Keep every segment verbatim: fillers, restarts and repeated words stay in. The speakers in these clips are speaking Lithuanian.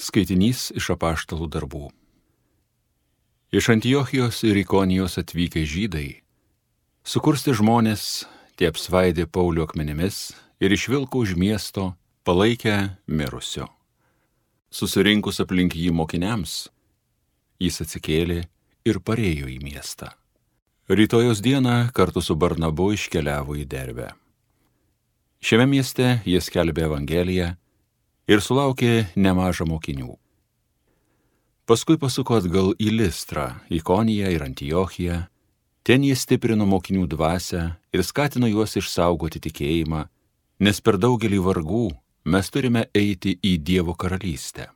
Skaitinys iš apaštalų darbų. Iš Antiochijos ir Ikonijos atvykę žydai, sukursti žmonės, tie apsvaidė Paulių akmenimis ir išvilko už miesto, palaikę mirusio. Susirinkus aplink jį mokiniams, jis atsikėlė ir parėjo į miestą. Rytojos dieną kartu su Barnabu iškeliavo į Derbę. Šiame mieste jie skelbė Evangeliją ir sulaukė nemažą mokinių. Paskui pasuko atgal į Listrą, Ikoniją ir Antiochiją. Ten jie stiprino mokinių dvasią ir skatino juos išsaugoti tikėjimą, nes per daugelį vargų mes turime eiti į Dievo karalystę.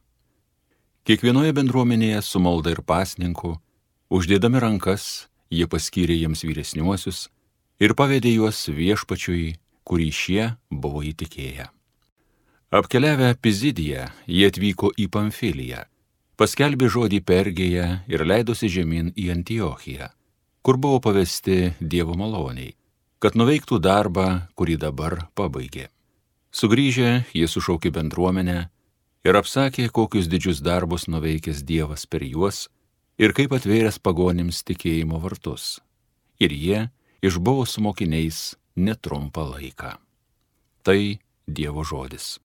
Kiekvienoje bendruomenėje su malda ir pasninku, uždėdami rankas, jie paskyrė jiems vyresniuosius ir pavedė juos viešpačiui, kurį šie buvo įtikėję. Apkeliavę Pizidiją, jie atvyko į Pamfiliją, paskelbė žodį Pergėje ir leidosi žemyn į Antiochiją, kur buvo pavesti Dievo maloniai, kad nuveiktų darbą, kurį dabar pabaigė. Sugrįžę, jie sušaukė bendruomenę ir apsakė, kokius didžius darbus nuveikęs Dievas per juos ir kaip atvėręs pagonims tikėjimo vartus. Ir jie išbuvo su mokiniais netrumpą laiką. Tai Dievo žodis.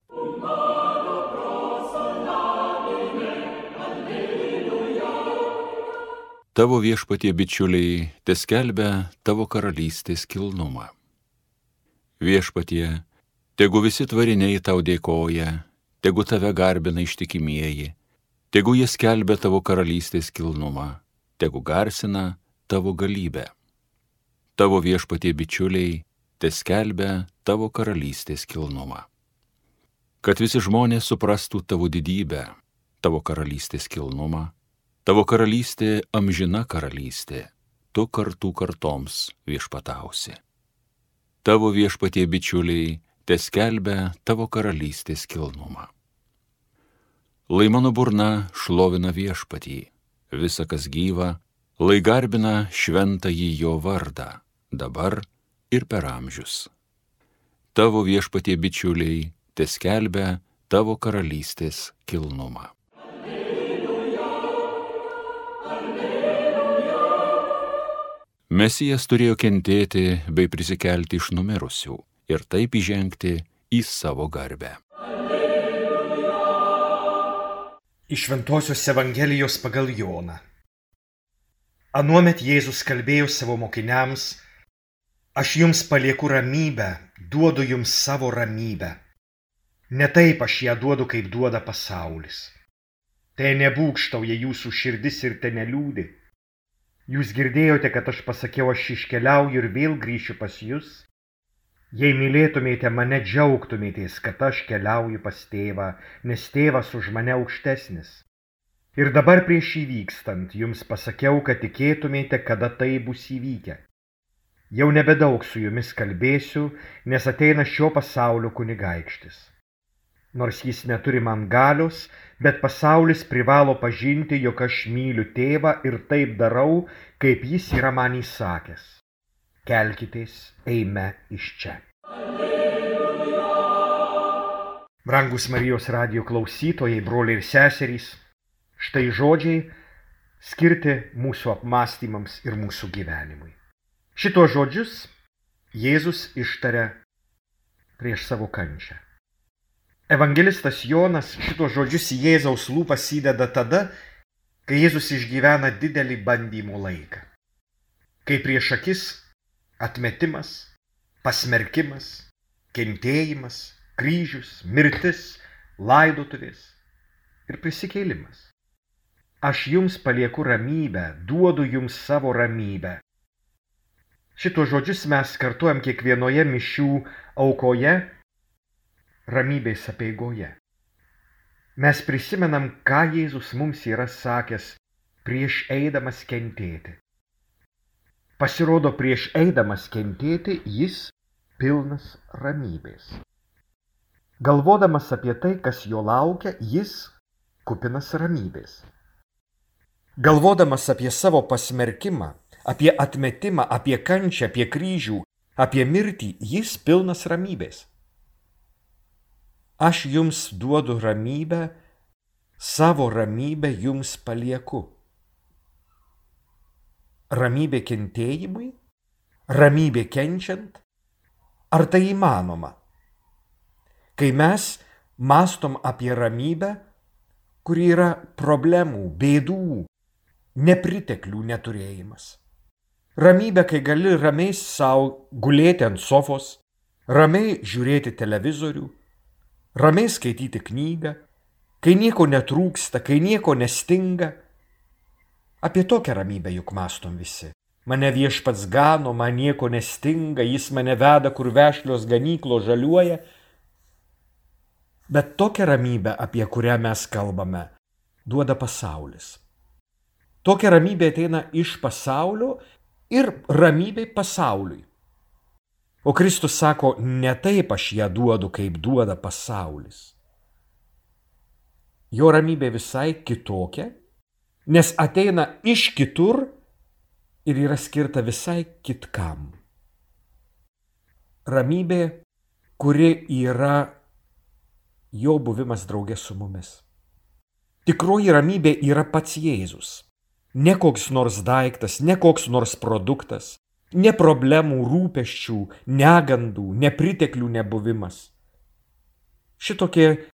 Tavo viešpatie bičiuliai teskelbia tavo karalystės kilnumą. Viešpatie, tegu visi tvariniai tau dėkoja, tegu tave garbina ištikimieji, tegu jie skelbia tavo karalystės kilnumą, tegu garsina tavo galybę. Tavo viešpatie bičiuliai teskelbia tavo karalystės kilnumą. Kad visi žmonės suprastų tavo didybę, tavo karalystės kilnumą, tavo karalystė amžina karalystė, tu kartų kartoms viešpatausi. Tavo viešpatie bičiuliai teskelbia tavo karalystės kilnumą. Lai mano burna šlovina viešpatį, visa kas gyva, lai garbina šventąjį jo vardą, dabar ir per amžius. Tavo viešpatie bičiuliai teskelbia tavo karalystės kilnumą. Mesijas turėjo kentėti bei prisikelti iš numirusių ir taip įžengti į savo garbę. Iš Šventosios Evangelijos pagal Joną. Anuomet Jėzus kalbėjo savo mokiniams: Aš jums palieku ramybę, duodu jums savo ramybę. Ne taip aš ją duodu, kaip duoda pasaulis. Tai nebūgštauja jūsų širdis ir te neliūdi. Jūs girdėjote, kad aš pasakiau, aš iškeliauju ir vėl grįšiu pas jūs. Jei mylėtumėte mane, džiaugtumėtės, kad aš keliauju pas tėvą, nes tėvas už mane aukštesnis. Ir dabar prieš įvykstant jums pasakiau, kad tikėtumėte, kada tai bus įvykę. Jau nebedaug su jumis kalbėsiu, nes ateina šio pasaulio kunigaikštis. Nors jis neturi man galios, bet pasaulis privalo pažinti, jog aš myliu tėvą ir taip darau, kaip jis yra man įsakęs. Kelkitės, eime iš čia. Alleluja. Brangus Marijos radijo klausytojai, broliai ir seserys, štai žodžiai skirti mūsų apmąstymams ir mūsų gyvenimui. Šitos žodžius Jėzus ištaria prieš savo kančią. Evangelistas Jonas šitos žodžius į Jėzaus lūpas įdeda tada, kai Jėzus išgyvena didelį bandymų laiką. Kai prieš akis atmetimas, pasmerkimas, kentėjimas, kryžius, mirtis, laidotuvės ir prisikėlimas. Aš jums palieku ramybę, duodu jums savo ramybę. Šitos žodžius mes kartuojam kiekvienoje mišių aukoje, ramybės apeigoje. Mes prisimenam, ką Jėzus mums yra sakęs prieš eidamas kentėti. Pasirodo, prieš eidamas kentėti jis pilnas ramybės. Galvodamas apie tai, kas jo laukia, jis kupinas ramybės. Galvodamas apie savo pasmerkimą, apie atmetimą, apie kančią, apie kryžių, apie mirtį, jis pilnas ramybės. Aš jums duodu ramybę, savo ramybę jums palieku. Ramybė kentėjimui? Ramybė kenčiant? Ar tai įmanoma? Kai mes mąstom apie ramybę, kuri yra problemų, bėdų, nepriteklių neturėjimas. Ramybė, kai gali ramiai savo gulėti ant sofos, ramiai žiūrėti televizorių, ramiai skaityti knygą, kai nieko netrūksta, kai nieko nestinga. Apie tokią ramybę juk mąstom visi. Mane viešpats gano, man nieko nestinga, jis mane veda, kur vešlios ganyklos žaliuoja. Bet tokią ramybę, apie kurią mes kalbame, duoda pasaulis. Tokia ramybė ateina iš pasaulio ir ramybė pasauliui. O Kristus sako, ne taip aš ją duodu, kaip duoda pasaulis. Jo ramybė visai kitokia, nes ateina iš kitur ir yra skirta visai kitkam. Ramybė, kuri yra jo buvimas drauge su mumis. Tikroji ramybė yra pats Jėzus. Ne koks nors daiktas, ne koks nors produktas, ne problemų, rūpesčių, negandų, nepriteklių nebuvimas. Šitokie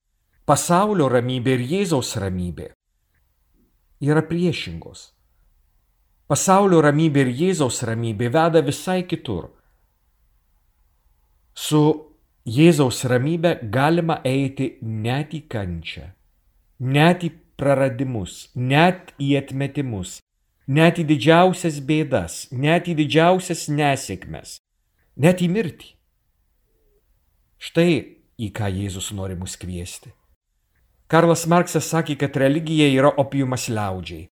pasaulio ramybė ir Jėzaus ramybė yra priešingos. Pasaulio ramybė ir Jėzaus ramybė veda visai kitur. Su Jėzaus ramybė galima eiti net į kančią, net į praradimus, net į atmetimus, net į didžiausias bėdas, net į didžiausias nesėkmes, net į mirtį. Štai į ką Jėzus nori mus kviesti. Karlas Marksas sakė, kad religija yra opiumas liaudžiai.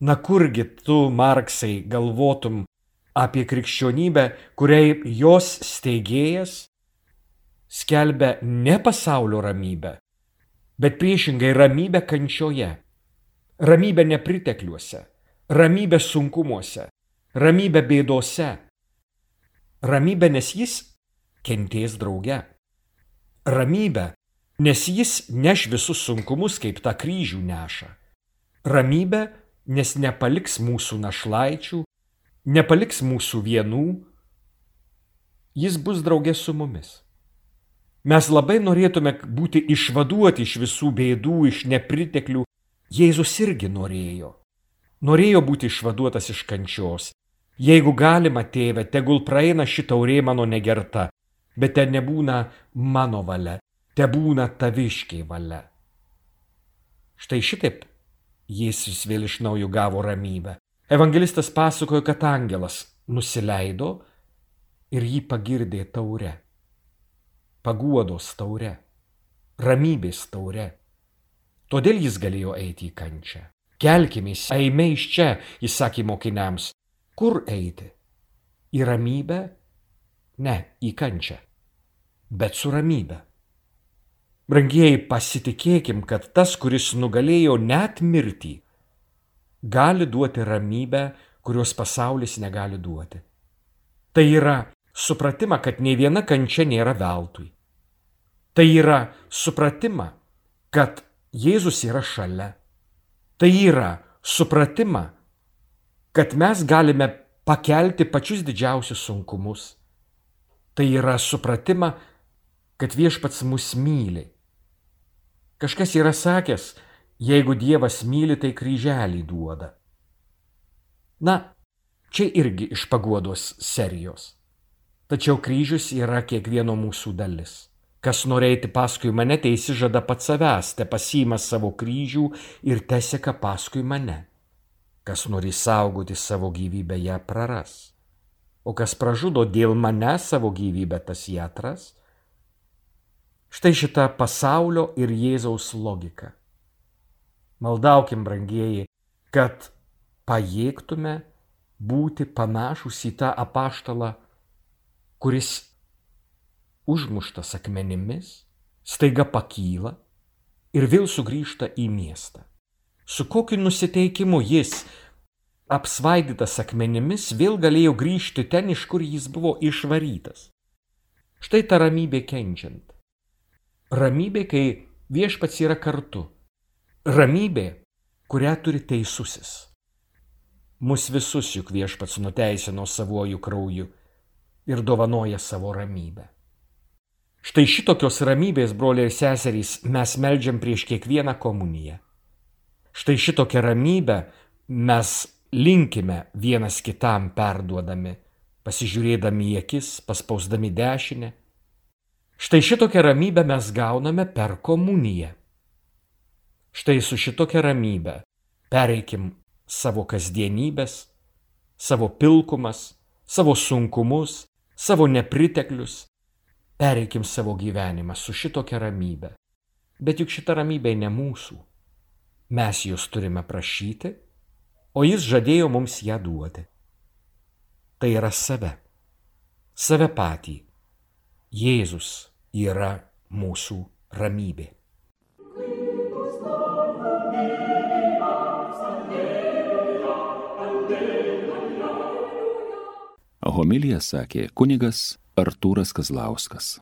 Na kurgi tu, Marksai, galvotum apie krikščionybę, kuriai jos steigėjas skelbia ne pasaulio ramybę, bet priešingai ramybę kančioje, ramybę nepritekliuose, ramybę sunkumuose, ramybę bėdose, ramybę, nes jis kentės drauge, ramybę, nes jis neš visus sunkumus, kaip tą kryžių neša, ramybę, nes nepaliks mūsų našlaičių, nepaliks mūsų vienų, jis bus drauge su mumis. Mes labai norėtume būti išvaduoti iš visų bėdų, iš nepriteklių. Jėzus irgi norėjo. Norėjo būti išvaduotas iš kančios. Jeigu galima, tėve, tegul praeina ši taurė mano negerta, bet te nebūna mano valia, te būna taviškiai valia. Štai šitaip Jėzus vėl iš naujo gavo ramybę. Evangelistas pasakojo, kad angelas nusileido ir jį pagirdė taure. Paguodos taure, ramybės taure. Todėl jis galėjo eiti į kančią. Kelkimės, eime iš čia, jis sakė mokiniams. Kur eiti? Į ramybę? Ne, į kančią. Bet su ramybę. Brangieji, pasitikėkim, kad tas, kuris nugalėjo net mirtį, gali duoti ramybę, kurios pasaulis negali duoti. Tai yra supratimą, kad nei viena kančia nėra veltui. Tai yra supratimą, kad Jėzus yra šalia. Tai yra supratimą, kad mes galime pakelti pačius didžiausius sunkumus. Tai yra supratimą, kad viešpats mus myli. Kažkas yra sakęs, jeigu Dievas myli, tai kryželį duoda. Na, čia irgi iš paguodos serijos. Tačiau kryžius yra kiekvieno mūsų dalis. Kas nori eiti paskui mane, te įsižada pats savęs, te pasiima savo kryžių ir te seka paskui mane. Kas nori saugoti savo gyvybę, ją praras. O kas pražudo dėl mane savo gyvybę, tas ją atras. Štai šita pasaulio ir Jėzaus logika. Maldaukim, brangieji, kad pajėgtume būti panašus į tą apaštalą, kuris užmuštas akmenimis, staiga pakyla ir vėl sugrįžta į miestą. Su kokiu nusiteikimu jis, apsvaidytas akmenimis, vėl galėjo grįžti ten, iš kur jis buvo išvarytas. Štai ta ramybė kenčiant. Ramybė, kai viešpats yra kartu. Ramybė, kurią turi teisusis. Mus visus juk Viešpats nuteisino savuoju krauju ir dovanoja savo ramybę. Štai šitokios ramybės, broliai ir seserys, mes meldžiam prieš kiekvieną komuniją. Štai šitokią ramybę mes linkime vienas kitam perduodami, pasižiūrėdami į akis, paspausdami dešinę. Štai šitokią ramybę mes gauname per komuniją. Štai su šitokia ramybė pereikim savo kasdienybės, savo pilkumas, savo sunkumus, savo nepriteklius. Pereikim savo gyvenimą su šitokia ramybė. Bet juk šita ramybė ne mūsų. Mes jos turime prašyti, o jis žadėjo mums ją duoti. Tai yra save. Save patį. Jėzus yra mūsų ramybė. Homiliją sakė kunigas Artūras Kazlauskas.